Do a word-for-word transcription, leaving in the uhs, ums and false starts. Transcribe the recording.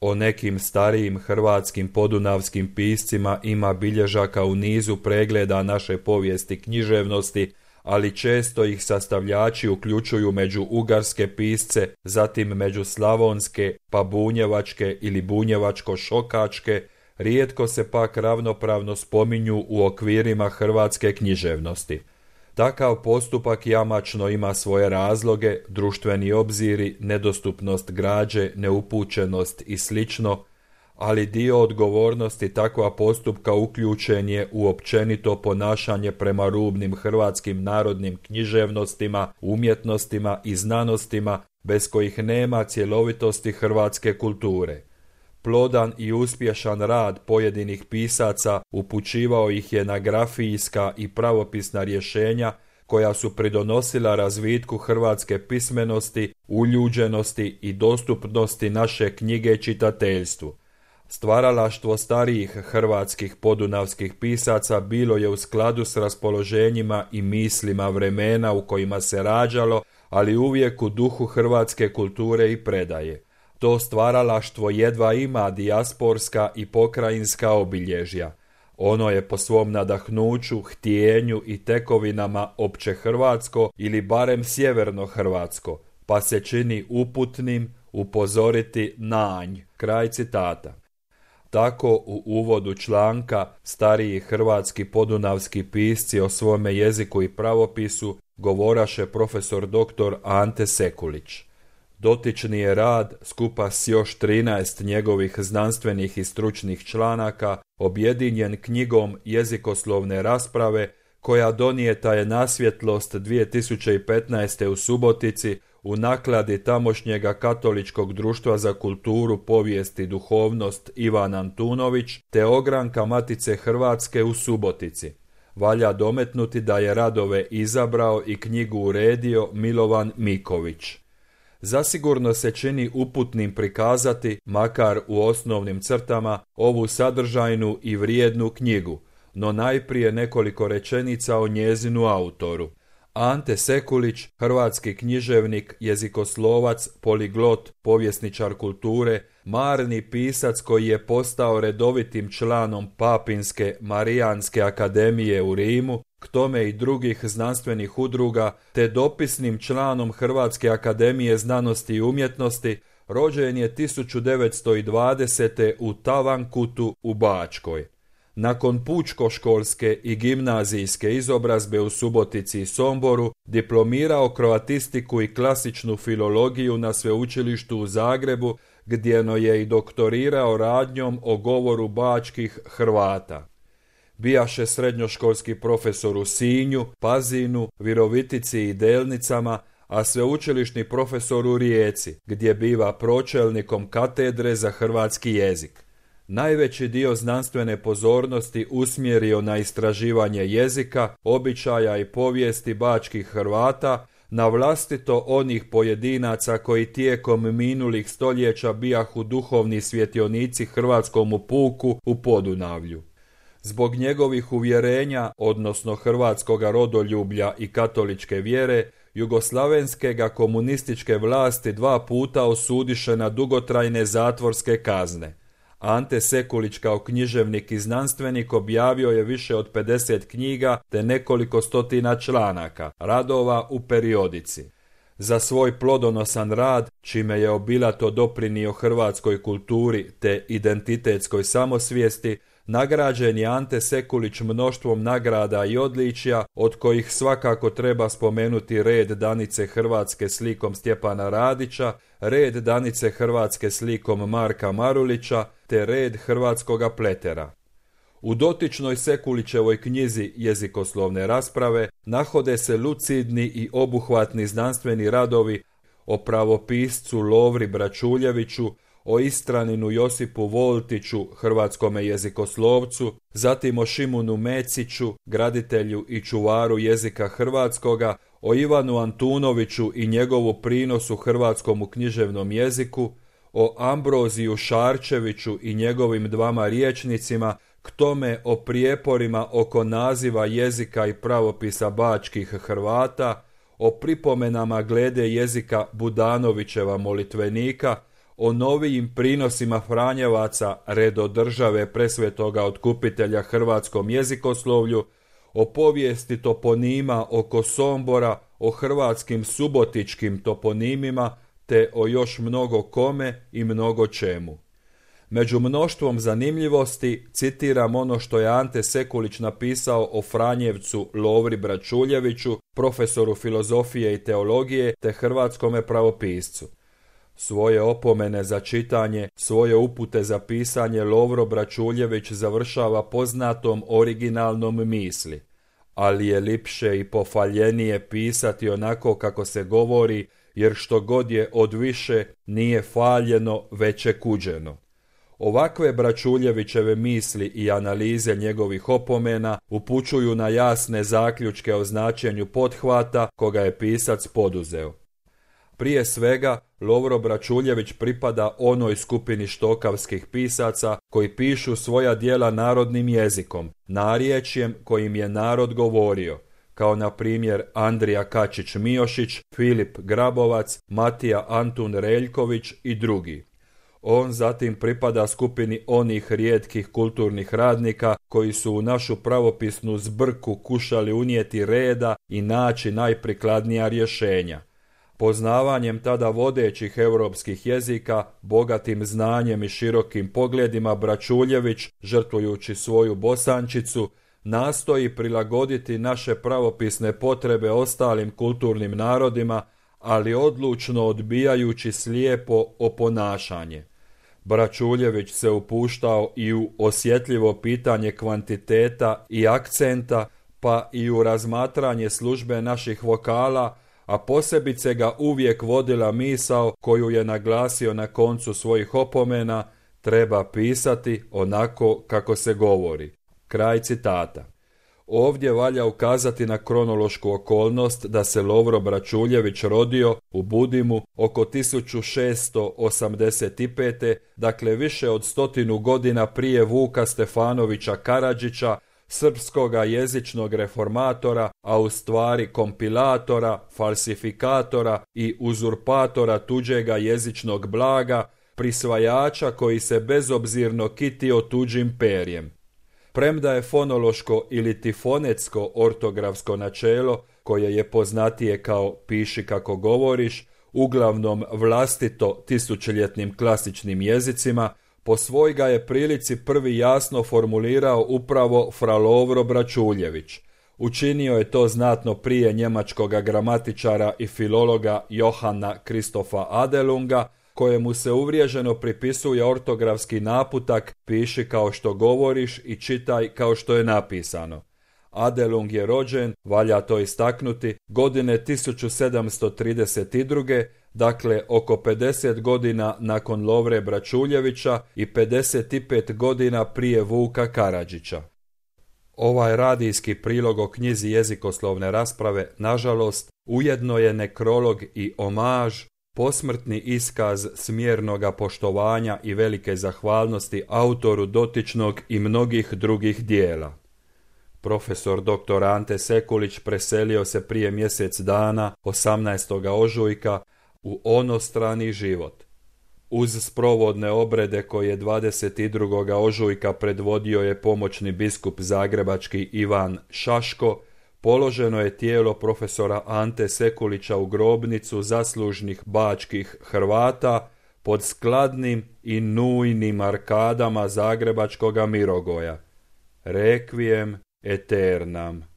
O nekim starijim hrvatskim podunavskim piscima ima bilježaka u nizu pregleda naše povijesti književnosti, ali često ih sastavljači uključuju među ugarske pisce, zatim među slavonske, pa bunjevačke ili bunjevačko-šokačke, rijetko se pak ravnopravno spominju u okvirima hrvatske književnosti. Takav postupak jamačno ima svoje razloge, društveni obziri, nedostupnost građe, neupućenost i slično, ali dio odgovornosti takva postupka uključen je u općenito ponašanje prema rubnim hrvatskim narodnim književnostima, umjetnostima i znanostima bez kojih nema cjelovitosti hrvatske kulture. Plodan i uspješan rad pojedinih pisaca upućivao ih je na grafijska i pravopisna rješenja koja su pridonosila razvitku hrvatske pismenosti, uljuđenosti i dostupnosti naše knjige čitateljstvu. Stvaralaštvo starijih hrvatskih podunavskih pisaca bilo je u skladu s raspoloženjima i mislima vremena u kojima se rađalo, ali uvijek u duhu hrvatske kulture i predaje. To stvaralaštvo jedva ima dijasporska i pokrajinska obilježja. Ono je po svom nadahnuću, htjenju i tekovinama opće hrvatsko ili barem sjeverno hrvatsko, pa se čini uputnim upozoriti na nj. Kraj citata. Tako u uvodu članka stariji hrvatski podunavski pisci o svome jeziku i pravopisu govoraše profesor doktor Ante Sekulić. Dotični je rad, skupa s još trinaest njegovih znanstvenih i stručnih članaka, objedinjen knjigom Jezikoslovne rasprave, koja donijeta je na svjetlost dvije tisuće petnaeste. u Subotici u nakladi tamošnjega Katoličkog društva za kulturu, povijest i duhovnost Ivan Antunović, te ogranka Matice Hrvatske u Subotici. Valja dometnuti da je radove izabrao i knjigu uredio Milovan Miković. Zasigurno se čini uputnim prikazati, makar u osnovnim crtama, ovu sadržajnu i vrijednu knjigu, no najprije nekoliko rečenica o njezinu autoru. Ante Sekulić, hrvatski književnik, jezikoslovac, poliglot, povjesničar kulture, marni pisac koji je postao redovitim članom Papinske Marijanske akademije u Rimu, k tome i drugih znanstvenih udruga, te dopisnim članom Hrvatske akademije znanosti i umjetnosti, rođen je tisuću devetsto dvadesete. u Tavankutu u Bačkoj. Nakon pučkoškolske i gimnazijske izobrazbe u Subotici i Somboru, diplomirao kroatistiku i klasičnu filologiju na sveučilištu u Zagrebu, gdjeno je i doktorirao radnjom o govoru bačkih Hrvata. Bijaše srednjoškolski profesor u Sinju, Pazinu, Virovitici i Delnicama, a sveučilišni profesor u Rijeci, gdje biva pročelnikom katedre za hrvatski jezik. Najveći dio znanstvene pozornosti usmjerio na istraživanje jezika, običaja i povijesti bačkih Hrvata, na vlastito onih pojedinaca koji tijekom minulih stoljeća bijahu duhovni svjetionici hrvatskomu puku u Podunavlju. Zbog njegovih uvjerenja, odnosno hrvatskoga rodoljublja i katoličke vjere, jugoslavenske ga komunističke vlasti dva puta osudiše na dugotrajne zatvorske kazne. Ante Sekulić kao književnik i znanstvenik objavio je više od pedeset knjiga te nekoliko stotina članaka, radova u periodici. Za svoj plodonosan rad, čime je obilato doprinio hrvatskoj kulturi te identitetskoj samosvijesti, nagrađen je Ante Sekulić mnoštvom nagrada i odličja, od kojih svakako treba spomenuti red Danice Hrvatske slikom Stjepana Radića, red Danice Hrvatske slikom Marka Marulića, te red Hrvatskoga pletera. U dotičnoj Sekulićevoj knjizi Jezikoslovne rasprave nahode se lucidni i obuhvatni znanstveni radovi o pravopiscu Lovri Bračuljeviću, o Istraninu Josipu Voltiću, hrvatskome jezikoslovcu, zatim o Šimunu Meciću, graditelju i čuvaru jezika hrvatskoga, o Ivanu Antunoviću i njegovu prinosu hrvatskom književnom jeziku, o Ambroziju Šarčeviću i njegovim dvama rječnicima, k tome o prijeporima oko naziva jezika i pravopisa bačkih Hrvata, o pripomenama glede jezika Budanovićeva molitvenika, o novijim prinosima Franjevaca redodržave presvetoga otkupitelja hrvatskom jezikoslovlju, o povijesti toponima oko Sombora, o hrvatskim subotičkim toponimima, te o još mnogo kome i mnogo čemu. Među mnoštvom zanimljivosti citiram ono što je Ante Sekulić napisao o Franjevcu Lovri Bračuljeviću, profesoru filozofije i teologije te hrvatskome pravopiscu. Svoje opomene za čitanje, svoje upute za pisanje Lovro Bračuljević završava poznatom originalnom misli, ali je lipše i pofaljenije pisati onako kako se govori, jer što god je od više nije faljeno, već je kuđeno. Ovakve Bračuljevićeve misli i analize njegovih opomena upućuju na jasne zaključke o značenju pothvata koga je pisac poduzeo. Prije svega, Lovro Bračuljević pripada onoj skupini štokavskih pisaca koji pišu svoja djela narodnim jezikom, narječjem kojim je narod govorio, kao na primjer Andrija Kačić-Miošić, Filip Grabovac, Matija Antun Reljković i drugi. On zatim pripada skupini onih rijetkih kulturnih radnika koji su u našu pravopisnu zbrku kušali unijeti reda i naći najprikladnija rješenja. Poznavanjem tada vodećih europskih jezika, bogatim znanjem i širokim pogledima Bračuljević, žrtvujući svoju bosančicu, nastoji prilagoditi naše pravopisne potrebe ostalim kulturnim narodima, ali odlučno odbijajući slijepo oponašanje. Bračuljević se upuštao i u osjetljivo pitanje kvantiteta i akcenta, pa i u razmatranje službe naših vokala, a posebice ga uvijek vodila misao koju je naglasio na koncu svojih opomena: treba pisati onako kako se govori. Kraj citata. Ovdje valja ukazati na kronološku okolnost da se Lovro Bračuljević rodio u Budimu oko tisuću šessto osamdeset pete. dakle više od stotinu godina prije Vuka Stefanovića Karadžića, srpskoga jezičnog reformatora, a u stvari kompilatora, falsifikatora i uzurpatora tuđega jezičnog blaga, prisvajača koji se bezobzirno kitio tuđim perjem. Premda je fonološko ili tifonetsko ortografsko načelo, koje je poznatije kao piši kako govoriš, uglavnom vlastito tisućljetnim klasičnim jezicima, po svoj ga je prilici prvi jasno formulirao upravo fra Lovro Bračuljević. Učinio je to znatno prije njemačkoga gramatičara i filologa Johana Kristofa Adelunga, kojemu se uvriježeno pripisuje ortografski naputak piši kao što govoriš i čitaj kao što je napisano. Adelung je rođen, valja to istaknuti, godine tisuću sedamsto trideset druge. dakle oko pedeset godina nakon Lovre Bračuljevića i pedeset pet godina prije Vuka Karadžića. Ovaj radijski prilog o knjizi jezikoslovne rasprave, nažalost, ujedno je nekrolog i omaž, posmrtni iskaz smjernoga poštovanja i velike zahvalnosti autoru dotičnog i mnogih drugih dijela. Profesor doktor Ante Sekulić preselio se prije mjesec dana, osamnaestog ožujka, u onostrani život. Uz sprovodne obrede koje dvadeset drugog ožujka predvodio je pomoćni biskup zagrebački Ivan Šaško, položeno je tijelo profesora Ante Sekulića u grobnicu zaslužnih bačkih Hrvata pod skladnim i nujnim arkadama zagrebačkoga Mirogoja. Requiem aeternam.